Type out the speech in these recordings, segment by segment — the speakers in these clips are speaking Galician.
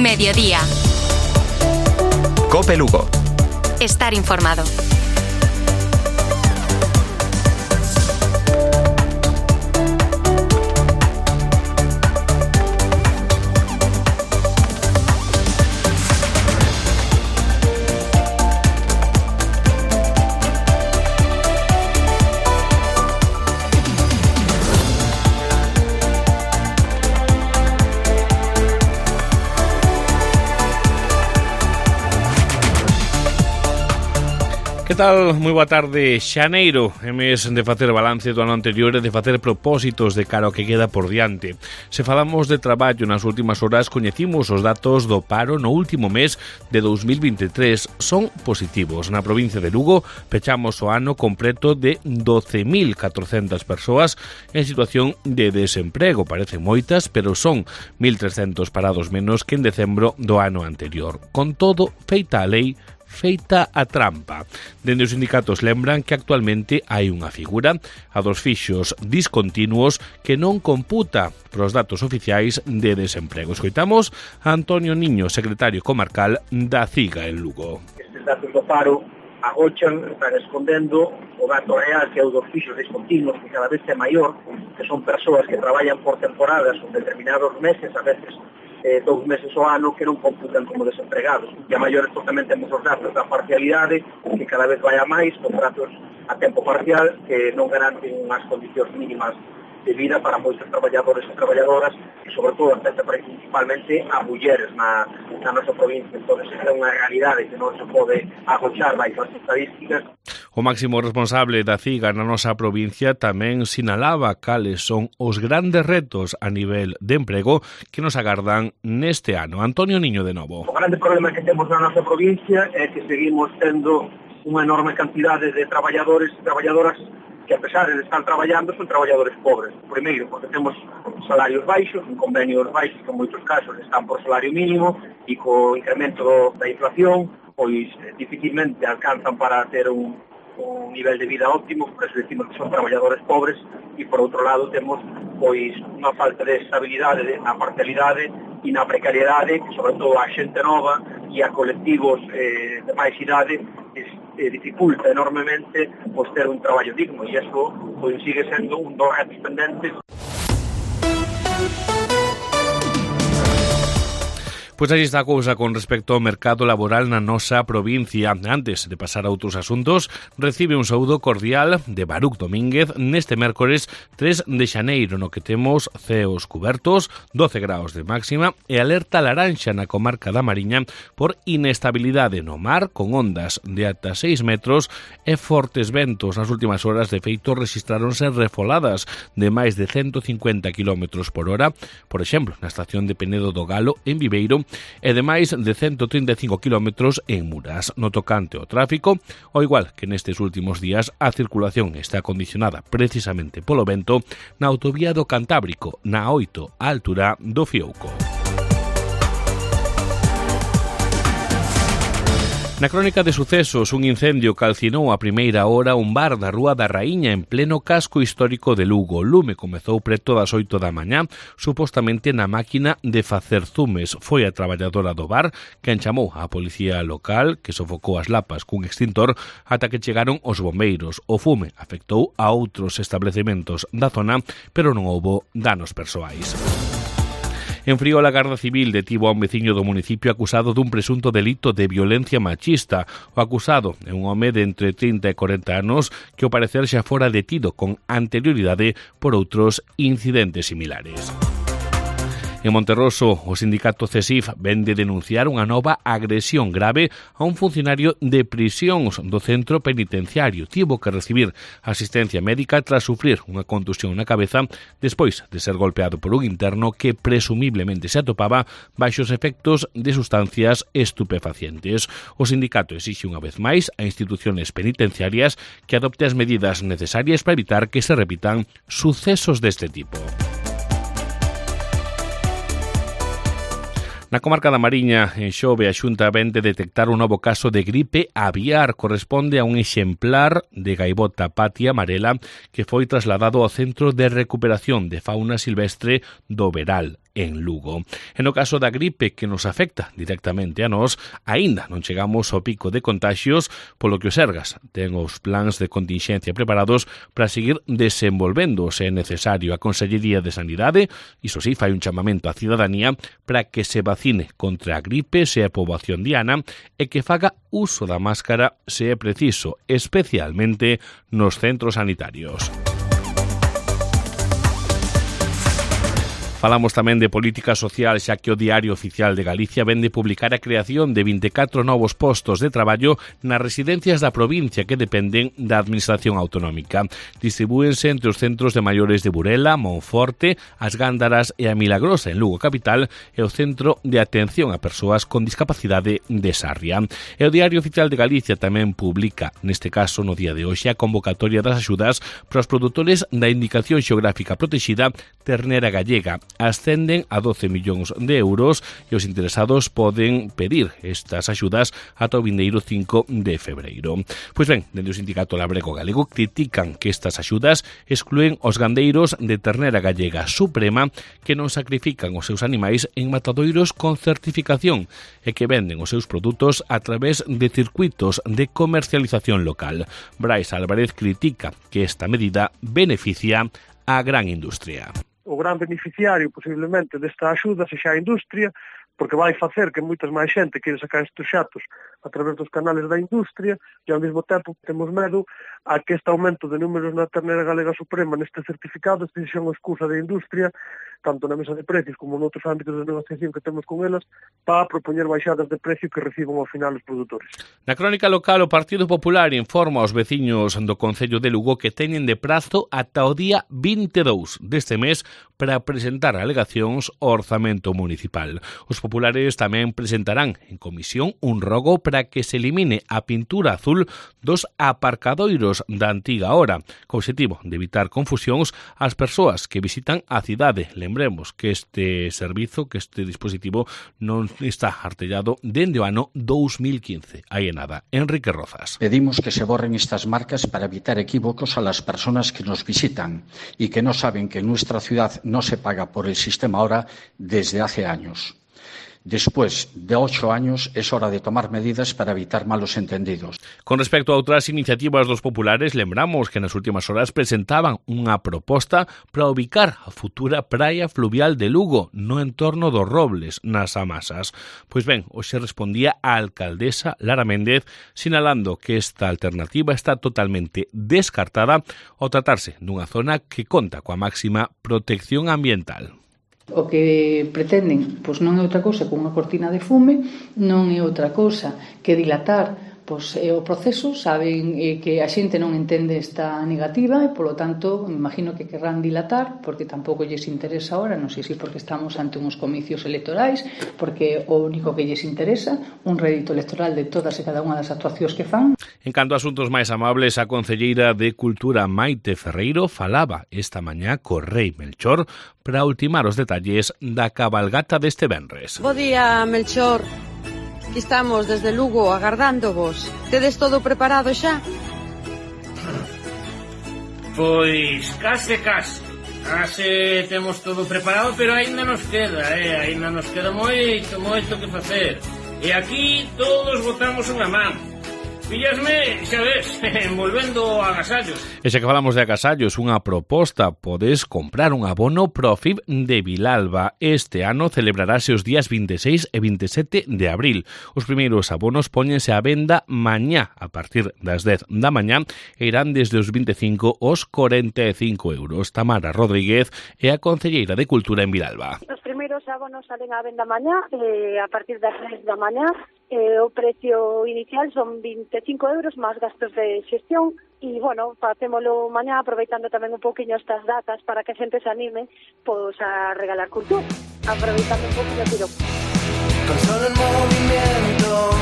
Mediodía. COPE Lugo. Estar informado. Que tal? Moi boa tarde. Xaneiro é mes de facer balance do ano anterior e de facer propósitos de cara ao que queda por diante. Se falamos de traballo, nas últimas horas coñecimos os datos do paro no último mes de 2023. Son positivos. Na provincia de Lugo pechamos o ano completo de 12.400 persoas en situación de desemprego. Parecen moitas, pero son 1.300 parados menos que en decembro do ano anterior. Con todo, feita a lei, feita a trampa. Dende os sindicatos lembran que actualmente hai unha figura, a dos fixos discontinuos, que non computa pros datos oficiais de desemprego. Escoitamos a Antonio Niño, secretario comarcal da CIGA en Lugo. Estes datos do paro agochan, están escondendo o dato real que é o dos fixos discontinuos, que cada vez é maior, que son persoas que traballan por temporadas ou determinados meses, a veces 2 meses ao ano, que non computan como desempregados. E a maiores tamén temos os datos da parcialidade, que cada vez vai a máis, contratos a tempo parcial, que non garanten unhas condicións mínimas de vida para moitos traballadores e traballadoras, e sobre todo afecta principalmente a mulleres na nosa provincia. Entón, é unha realidade que non se pode agochar baixo as estadísticas. O máximo responsable da CIGA na nosa provincia tamén sinalaba cales son os grandes retos a nivel de emprego que nos agardan neste ano. Antonio Niño de novo. O grande problema que temos na nosa provincia é que seguimos tendo unha enorme cantidade de traballadores e traballadoras que, a pesar de estar traballando, son traballadores pobres. Primeiro, porque temos salarios baixos, convenios baixos que en moitos casos están por salario mínimo, e co incremento da inflación, pois dificilmente alcanzan para ter un nivel de vida óptimo, por eso decimos que son traballadores pobres, e por outro lado temos pois unha falta de estabilidade na parcialidade e na precariedade, que sobre todo a xente nova e a colectivos de máis idade dificulta enormemente pois ter un traballo digno, e iso pois sigue sendo un dos retos pendentes. Pois aí está a cousa con respecto ao mercado laboral na nosa provincia. Antes de pasar a outros asuntos, recibe un saúdo cordial de Baruch Domínguez neste mércores 3 de xaneiro, no que temos ceos cubertos, 12 graus de máxima e alerta laranxa na comarca da Mariña por inestabilidade no mar, con ondas de ata 6 metros e fortes ventos. Nas últimas horas, de feito, rexistráronse refoladas de máis de 150 km por hora, por exemplo, na estación de Penedo do Galo, en Viveiro, e de máis de 135 km en Muras. No tocante ao tráfico, ao igual que nestes últimos días, a circulación está condicionada precisamente polo vento na autovía do Cantábrico, na 8, á altura do Fiouco. Na crónica de sucesos, un incendio calcinou a primeira hora un bar da Rúa da Raíña en pleno casco histórico de Lugo. O lume comezou preto das 8 da mañá, supostamente na máquina de facer zumes. Foi a traballadora do bar quen chamou á policía local, que sofocou as lapas cun extintor ata que chegaron os bombeiros. O fume afectou a outros establecementos da zona, pero non houbo danos persoais. En Friol, a Garda Civil detivo a un veciño do municipio acusado dun presunto delito de violencia machista. O acusado é un home de entre 30 e 40 anos que, ao parecer, xa fora detido con anterioridade por outros incidentes similares. En Monterroso, o sindicato CESIF ven de denunciar unha nova agresión grave a un funcionario de prisións do centro penitenciario. Tivo que recibir asistencia médica tras sufrir unha contusión na cabeza despois de ser golpeado por un interno que presumiblemente se atopaba baixo os efectos de sustancias estupefacientes. O sindicato exixe unha vez máis a instituciones penitenciarias que adopte as medidas necesarias para evitar que se repitan sucesos deste tipo. Na comarca da Mariña, en Xove, a Xunta ven de detectar un novo caso de gripe aviar. Corresponde a un exemplar de gaivota patia amarela que foi trasladado ao Centro de Recuperación de Fauna Silvestre do Veral. en Lugo. En o caso da gripe que nos afecta directamente a nós, aínda non chegamos ao pico de contaxios, polo que o Sergas ten os plans de continxencia preparados para seguir desenvolvendo se é necesario. A Consellería de Sanidade, iso sí, fai un chamamento á cidadanía para que se vacine contra a gripe se é poboación diana e que faga uso da máscara se é preciso, especialmente nos centros sanitarios. Falamos tamén de política social, xa que o Diario Oficial de Galicia vén de publicar a creación de 24 novos postos de traballo nas residencias da provincia que dependen da Administración Autonómica. Distribúense entre os centros de maiores de Burela, Monforte, As Gándaras e a Milagrosa en Lugo capital e o Centro de Atención a Persoas con Discapacidade de Sarria. E o Diario Oficial de Galicia tamén publica, neste caso no día de hoxe, a convocatoria das axudas para os produtores da Indicación Xeográfica Protexida Ternera Gallega. Ascenden a 12 millóns de euros e os interesados poden pedir estas axudas ata o vindeiro 5 de febreiro. Pois ben, dende o Sindicato Labrego Galego critican que estas axudas excluen os gandeiros de ternera gallega suprema que non sacrifican os seus animais en matadoiros con certificación e que venden os seus produtos a través de circuitos de comercialización local. Brais Álvarez critica que esta medida beneficia a gran industria. O gran beneficiario, posiblemente, desta axuda sexa a industria, porque vai facer que moitas máis xente quere sacar estes xatos a través dos canales da industria e ao mesmo tempo temos medo a que este aumento de números na ternera galega suprema neste certificado sexa unha excusa da industria, tanto na mesa de precios como noutros ámbitos de negociación que temos con elas, para propoñer baixadas de precio que reciban ao final os produtores. Na crónica local, o Partido Popular informa aos veciños do Concello de Lugo que teñen de prazo ata o día 22 deste mes para presentar alegacións ao orzamento municipal. Os populares tamén presentarán en comisión un rogo para que se elimine a pintura azul dos aparcadoiros da antiga hora, co obxectivo de evitar confusións ás persoas que visitan a cidade. Lembremos que este servizo, que este dispositivo non está artellado dende o ano 2015. Aí é nada. Enrique Rozas. Pedimos que se borren estas marcas para evitar equívocos a las personas que nos visitan y que no saben que en nuestra ciudad no se paga por el sistema ahora desde hace años. Después de 8 años es hora de tomar medidas para evitar malos entendidos. Con respecto a outras iniciativas dos populares, lembramos que nas últimas horas presentaban unha proposta para ubicar a futura praia fluvial de Lugo no entorno dos Robles, nas Amasas. Pois ben, hoxe respondía a alcaldesa Lara Méndez sinalando que esta alternativa está totalmente descartada ao tratarse dunha zona que conta coa máxima protección ambiental. O que pretenden pois non é outra cousa que unha cortina de fume, non é outra cousa que dilatar pois o proceso. Saben que a xente non entende esta negativa e, polo tanto, imagino que querrán dilatar porque tampouco lles interesa ahora, non sei se porque estamos ante uns comicios electorais, porque o único que lles interesa un rédito electoral de todas e cada unha das actuacións que fan. En canto a asuntos máis amables, a concelleira de Cultura Maite Ferreiro falaba esta mañá co rei Melchor para ultimar os detalles da cabalgata deste venres. Bo día, Melchor. Aquí estamos desde Lugo agardándovos. Tedes todo preparado xa? Pois case. Case temos todo preparado, pero aínda nos queda, aínda nos queda moito que facer. E aquí todos botamos unha man. Pillasme, xa ves, envolvendo agasallos. E xa que falamos de agasallos, unha proposta: podes comprar un abono Profib de Vilalba. Este ano celebrarase os días 26 e 27 de abril. Os primeiros abonos póñense á venda mañá a partir das 10 da mañá e irán desde os 25 aos 45 euros. Tamara Rodríguez é a concelleira de Cultura en Vilalba. Os primeiros abonos salen á venda mañá a partir das 10 da mañá. O precio inicial son 25 euros máis gastos de xestión e, bueno, facémolo mañá aproveitando tamén un pouquiño estas datas para que a xente se anime pois a regalar cultura, aproveitando un pouquiño tiro. Con solo el movimiento.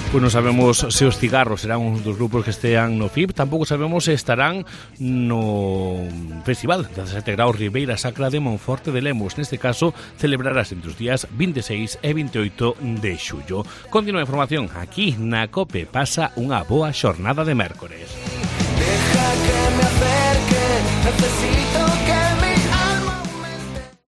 Pois non sabemos se os cigarros serán un dos grupos que estean no FIB, tampouco sabemos se estarán no Festival 17 Graus Ribeira Sacra de Monforte de Lemos. Neste caso, celebrarás entre os días 26 e 28 de xullo. Continúa a información aquí na COPE. Pasa unha boa xornada de mércores. Deja que me acerque, necesito